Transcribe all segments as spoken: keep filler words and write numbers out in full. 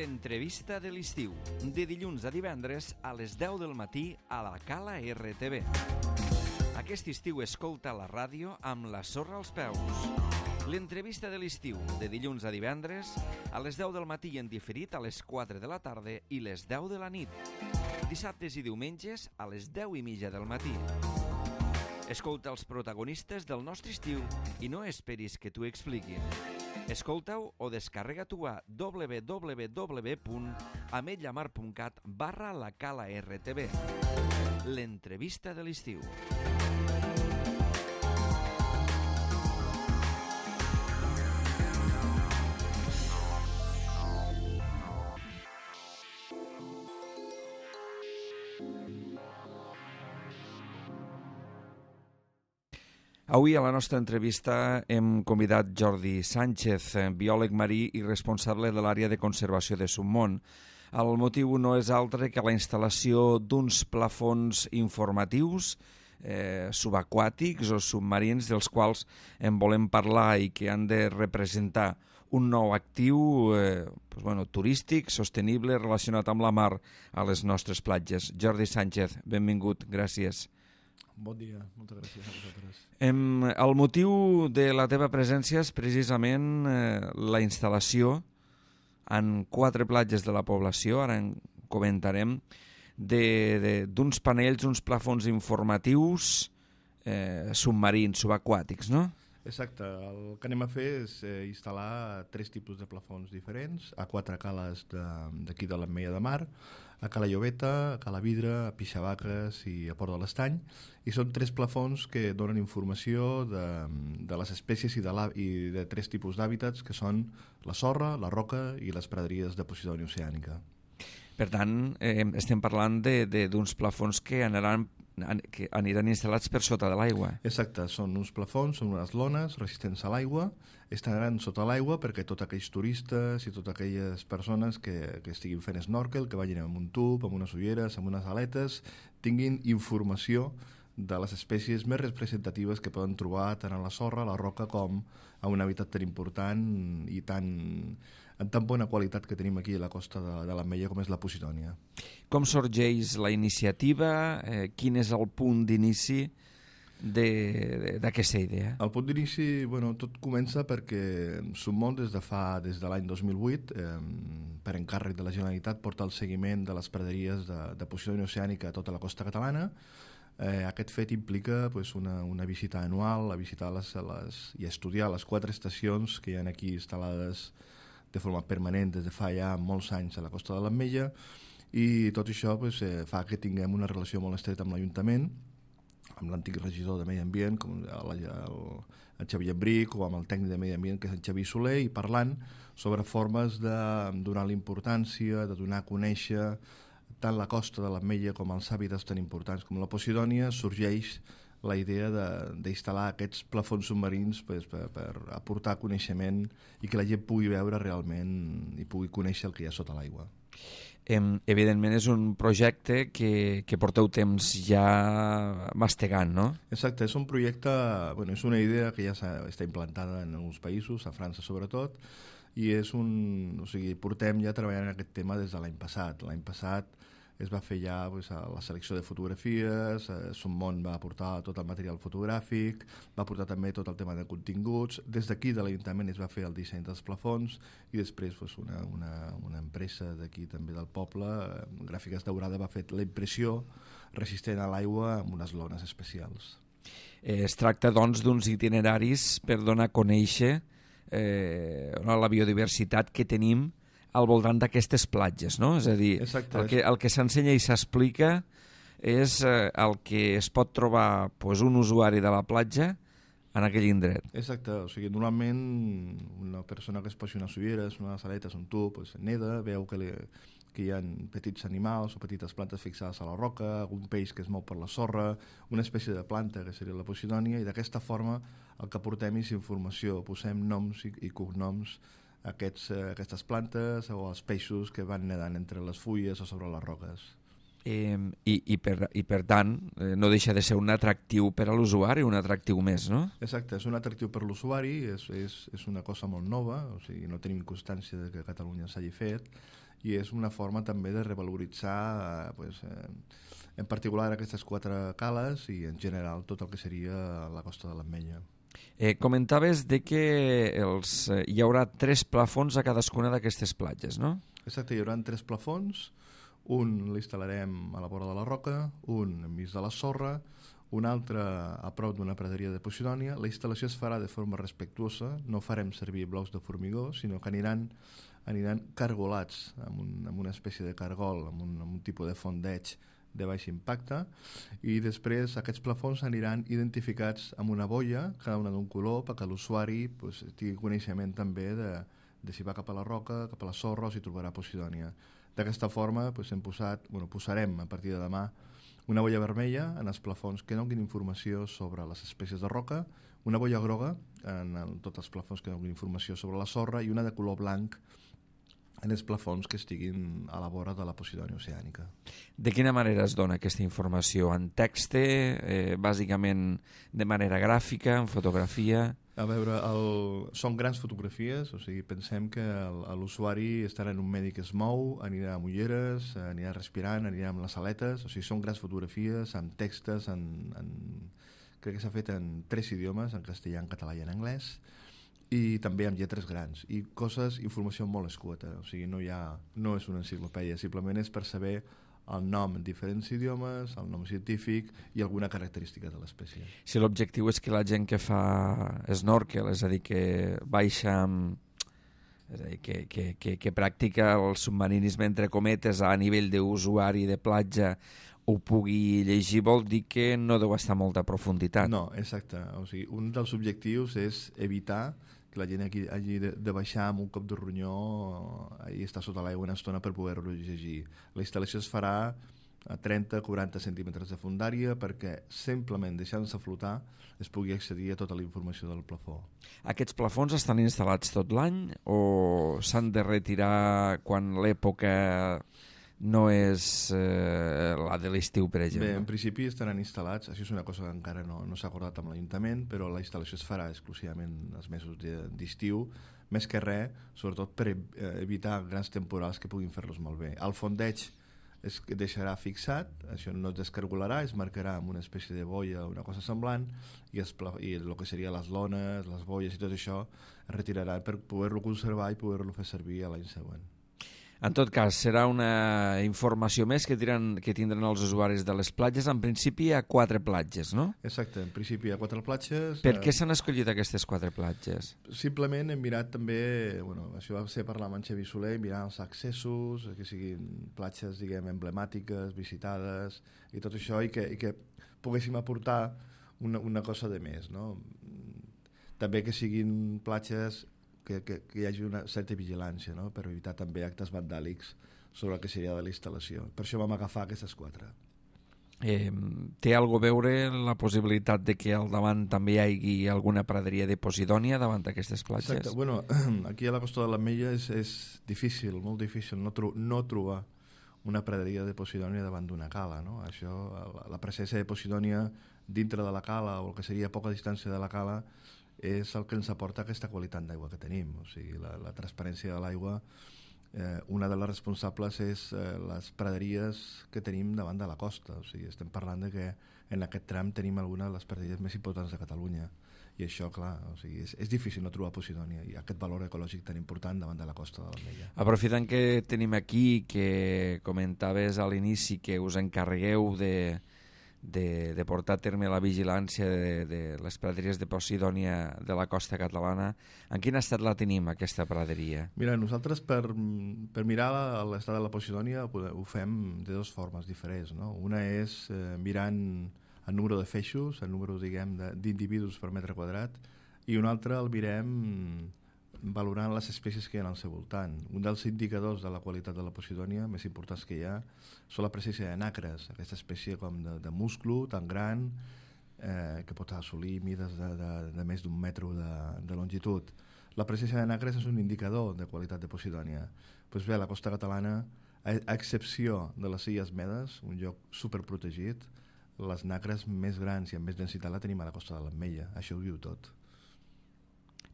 L'entrevista de l'estiu, de dilluns a divendres a les deu del matí a la Cala R T V. Aquest estiu escolta la ràdio amb la sorra als peus. L'entrevista de l'estiu, de dilluns a divendres a les deu del matí i en diferit a les quatre de la tarda i les deu de la nit. Dissabtes i diumenges a les deu i mitja del matí. Escolta els protagonistes del nostre estiu i no esperis que t'ho expliquin. Escolta-ho o descarrega-t'ho a w w w punt ametlllamar punt cat barra la Cala R T V. L'entrevista de l'estiu. Avui a la nostra entrevista hem convidat Jordi Sánchez, biòleg marí i responsable de l'àrea de conservació de Submont. El motiu no és altre que la instal·lació d'uns plafons informatius eh, subaquàtics o submarins dels quals en volem parlar i que han de representar un nou actiu eh, pues bueno, turístic, sostenible, relacionat amb la mar a les nostres platges. Jordi Sánchez, benvingut, gràcies. Bon dia, moltes gràcies a vosaltres. Em, el motiu de la teva presència és precisament eh, la instal·lació en quatre platges de la població, ara en comentarem, d'uns panells, uns plafons informatius eh, submarins, subaquàtics, no? Exacte, el que anem a fer és eh, instal·lar tres tipus de plafons diferents a quatre cales d'aquí de, de l'Ametlla de Mar, a Cala Llobeta, a Cala Vidra, a Pixavaques i a Port de l'Estany, i són tres plafons que donen informació de, de les espècies i de, la, i de tres tipus d'hàbitats, que són la sorra, la roca i les praderies de Posidònia oceànica. Per tant, eh, estem parlant d'uns plafons que anaran que aniran instal·lats per sota de l'aigua. Exacte, són uns plafons, són unes lones resistents a l'aigua, estaran sota l'aigua perquè tots aquells turistes i totes aquelles persones que, que estiguin fent snorkel, que vagin amb un tub, amb unes ulleres, amb unes aletes, tinguin informació de les espècies més representatives que poden trobar tant a la sorra, a la roca, com a un hàbitat tan important i tan, en tan bona qualitat que tenim aquí a la costa de, de l'Ametlla com és la Posidònia. Com sorgeix la iniciativa? Eh, quin és el punt d'inici d'aquesta idea? El punt d'inici, bueno, tot comença perquè Submont des de fa des de l'any dos mil vuit, eh, per encàrrec de la Generalitat, porta el seguiment de les praderies de, de Posidònia oceànica a tota la costa catalana. Eh, aquest fet implica pues, una, una visita anual, a visitar les, les, i estudiar les quatre estacions que hi ha aquí instal·lades de forma permanent des de fa ja molts anys a la costa de l'Ametlla, i tot això pues, eh, fa que tinguem una relació molt estreta amb l'Ajuntament, amb l'antic regidor de Medi Ambient, com el, el, el Xavier Embric, o amb el tècnic de Medi Ambient, que és el Xavier Soler, i parlant sobre formes de donar l'importància, de donar a conèixer tant la costa de l'Ametlla com els hàbitats tan importants com la Posidònia, sorgeix la idea d'instal·lar aquests plafons submarins pues, per, per aportar coneixement i que la gent pugui veure realment i pugui conèixer el que hi ha sota l'aigua. Evidentment és un projecte que, que porteu temps ja mastegant, no? Exacte, és un projecte, bueno, és una idea que ja està implantada en alguns països, a França sobretot, i és un, o sigui, portem ja treballant en aquest tema des de l'any passat. L'any passat es va fer ja pues, la selecció de fotografies, eh, Submont va aportar tot el material fotogràfic, va aportar també tot el tema de continguts, des d'aquí de l'Ajuntament es va fer el disseny dels plafons i després pues, una, una, una empresa d'aquí també del poble, eh, Gràfiques Daurada, va fer la impressió resistent a l'aigua amb unes lones especials. Eh, es tracta doncs d'uns itineraris per donar a conèixer eh, la biodiversitat que tenim al voltant d'aquestes platges, no? És a dir, Exacte, el que, el que s'ensenya i s'explica és eh, el que es pot trobar pues, un usuari de la platja en aquell indret. Exacte, o sigui, normalment una persona que es posi unes ulleres, unes aletes, un tub, pues, neda, veu que, li, que hi ha petits animals o petites plantes fixades a la roca, un peix que es mou per la sorra, una espècie de planta que seria la Posidònia, i d'aquesta forma el que portem és informació, posem noms i, i cognoms Aquests, aquestes plantes o els peixos que van nedant entre les fulles o sobre les roques. Eh, i, i, per, I per tant eh, no deixa de ser un atractiu per a l'usuari, un atractiu més, no? Exacte, és un atractiu per l'usuari, és, és, és una cosa molt nova, o sigui, no tenim constància de que a Catalunya s'hagi fet, i és una forma també de revaloritzar eh, pues, eh, en particular aquestes quatre cales i en general tot el que seria la costa de l'Ametlla. Eh, comentaves de que els, eh, hi haurà tres plafons a cadascuna d'aquestes platges, no? Exacte, hi haurà tres plafons, un l'instal·larem a la vora de la roca, un enmig de la sorra, un altre a prop d'una praderia de Posidònia. La instal·lació es farà de forma respectuosa, no farem servir blocs de formigó, sinó que aniran, aniran cargolats amb, un, amb una espècie de cargol, amb un, amb un tipus de fondeig de baix impacte, i després aquests plafons aniran identificats amb una boia, cada una d'un color, perquè l'usuari pues, tingui coneixement també de, de si va cap a la roca, cap a la sorra o si trobarà Posidònia. D'aquesta forma pues, hem posat, bueno, posarem a partir de demà una boia vermella en els plafons que donin informació sobre les espècies de roca, una boia groga en el, tots els plafons que donin informació sobre la sorra i una de color blanc en els plafons que estiguin a la vora de la Posidònia oceànica. De quina manera es dona aquesta informació? En text, eh, bàsicament de manera gràfica, en fotografia? A veure, el... són grans fotografies, o sigui, pensem que l'usuari estarà en un medi que es mou, anirà amb ulleres, anirà respirant, anirà amb les aletes, o sigui, són grans fotografies amb textos, en, en... crec que s'ha fet en tres idiomes, en castellà, en català i en anglès, i també amb lletres grans i coses, informació molt escueta, o sigui, no hi ha, no és una enciclopèdia, simplement és per saber el nom en diferents idiomes, el nom científic i alguna característica de l'espècie. Si l'objectiu és que la gent que fa snorkel, és a dir, que baixa amb... és a dir, que, que, que, que practica el submarinisme entre cometes a nivell d'usuari de platja ho pugui llegir, vol dir que no deu estar a molta profunditat. No, exacte. O sigui, un dels objectius és evitar que la gent hagi, hagi de, de baixar amb un cop de ronyó i estar sota l'aigua una estona per poder-lo llegir. La instal·lació es farà a trenta a quaranta centímetres de fondària perquè simplement deixant-se flotar es pugui accedir a tota la informació del plafó. Aquests plafons estan instal·lats tot l'any o s'han de retirar quan l'època no és eh, la de l'estiu, per exemple? Bé, en principi estaran instal·lats, això és una cosa que encara no, no s'ha acordat amb l'Ajuntament, però la instal·lació es farà exclusivament els mesos d'estiu, més que res, sobretot per evitar grans temporals que puguin fer-los malbé. El fondeig es deixarà fixat, això no es descargolarà, es marcarà amb una espècie de boia o una cosa semblant, i, es, i el que seria les lones, les boies i tot això es retirarà per poder-lo conservar i poder-lo fer servir l'any següent. En tot cas, serà una informació més que tindran, que tindran els usuaris de les platges. En principi hi ha quatre platges, no? Exacte, en principi hi ha quatre platges. Per què s'han escollit aquestes quatre platges? Simplement hem mirat també, bueno, això va ser parlar amb en Xavi Soler, mirar els accessos, que siguin platges, diguem, emblemàtiques, visitades, i tot això, i que, i que poguéssim aportar una, una cosa de més, no? També que siguin platges Que, que, que hi hagi una certa vigilància, no? Per evitar també actes vandàlics sobre el que seria de la instal·lació. Per això vam agafar aquestes quatre. Eh, té alguna a veure la possibilitat de que al davant també hi hagi alguna praderia de Posidònia davant d'aquestes platges? Exacte. Bueno, aquí a la costa de l'Ametlla és, és difícil, molt difícil no, tro no trobar una praderia de Posidònia davant d'una cala, no? Això, la, la presència de Posidònia dintre de la cala o el que seria a poca distància de la cala és el que ens aporta aquesta qualitat d'aigua que tenim. O sigui, la, la transparència de l'aigua, eh, una de les responsables és eh, les praderies que tenim davant de la costa. O sigui, estem parlant de que en aquest tram tenim alguna de les praderies més importants de Catalunya. I això, clar, o sigui, és, és difícil no trobar Posidònia i aquest valor ecològic tan important davant de la costa de l'Ametlla. Aprofitant que tenim aquí, que comentaves a l'inici que us encarregueu de... De, de portar a terme la vigilància de, de les praderies de Posidònia de la costa catalana. En quin estat la tenim, aquesta praderia? Mira, nosaltres per, per mirar l'estat de la Posidònia ho fem de dues formes diferents, no? Una és eh, mirant el número de feixos, el número, diguem, d'individus per metre quadrat, i un altre el mirem valorant les espècies que hi ha al seu voltant. Un dels indicadors de la qualitat de la Posidònia més importants que hi ha són la presència de nacres, aquesta espècie com de, de musclo tan gran eh, que pot assolir mides de, de, de més d'un metre de, de longitud. La presència de nacres és un indicador de qualitat de Posidònia. Pues bé, a la costa catalana, a, a excepció de les Illes Medes, un lloc superprotegit, les nacres més grans i amb més densitat la tenim a la costa de l'Ametlla. Això ho diu tot.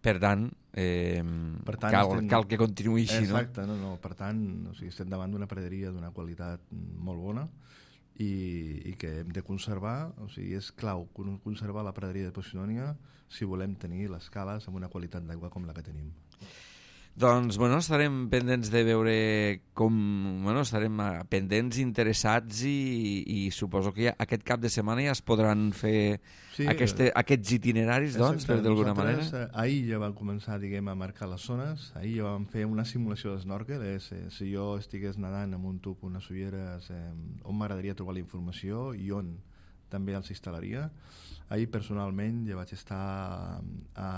Per tant, eh, per tant, cal, estem... cal que continuï així, no? Exacte, no, no, per tant, o sigui, estem davant d'una praderia d'una qualitat molt bona i, i que hem de conservar, o sigui, és clau conservar la praderia de Posidònia si volem tenir les cales amb una qualitat d'aigua com la que tenim. Doncs, bueno, estarem pendents de veure com... Bueno, estarem pendents, interessats i, i suposo que ja, aquest cap de setmana ja es podran fer sí, aquest, aquests itineraris, doncs, per d'alguna manera. Ahir ja vam començar, diguem, a marcar les zones. Ahir ja vam fer una simulació d'esnòrquel. Eh? Si, si jo estigués nedant amb un tub, unes ulleres, eh, on m'agradaria trobar la informació i on també els instal·laria. Ahir, personalment, ja vaig estar a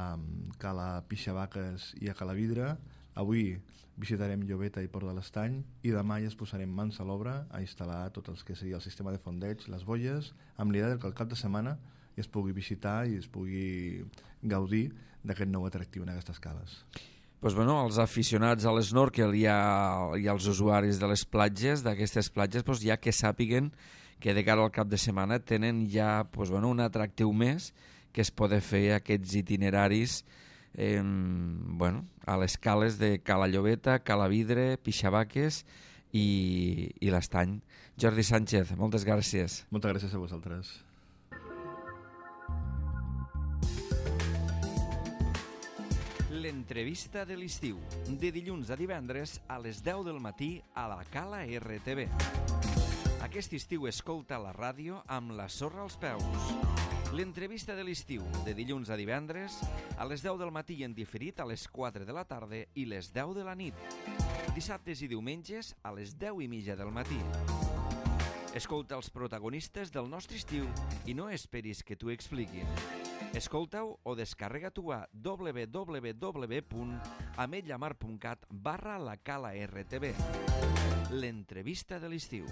Cala Pixavaques i a Cala Vidre. Avui visitarem Llobeta i Port de l'Estany i demà ja es posarem mans a l'obra a instal·lar tot el que seria el sistema de fondeig, les boies, amb l'idea que al cap de setmana es pugui visitar i es pugui gaudir d'aquest nou atractiu en aquestes cales. Pues bueno, els aficionats a l'snorkel i, a, i als usuaris de les platges, d'aquestes platges, pues ja que sàpiguen que de cara al cap de setmana tenen ja pues bueno, un atractiu més que es pot fer aquests itineraris eh, bueno, a les cales de Cala Llobeta, Cala Vidre, Pixavaques i, i l'Estany. Jordi Sánchez, moltes gràcies. Moltes gràcies a vosaltres. L'entrevista de l'estiu, de dilluns a divendres a les deu del matí a la Cala R T V. Aquest estiu escolta la ràdio amb la sorra als peus. L'entrevista de l'estiu, de dilluns a divendres, a les deu del matí i en diferit a les quatre de la tarda i les deu de la nit. Dissabtes i diumenges a les deu i mitja del matí. Escolta els protagonistes del nostre estiu i no esperis que t'ho expliquin. Escolta-ho o descarrega-t'ho a w w w punt ametlla mar punt cat barra la Cala R T V. L'entrevista de l'estiu.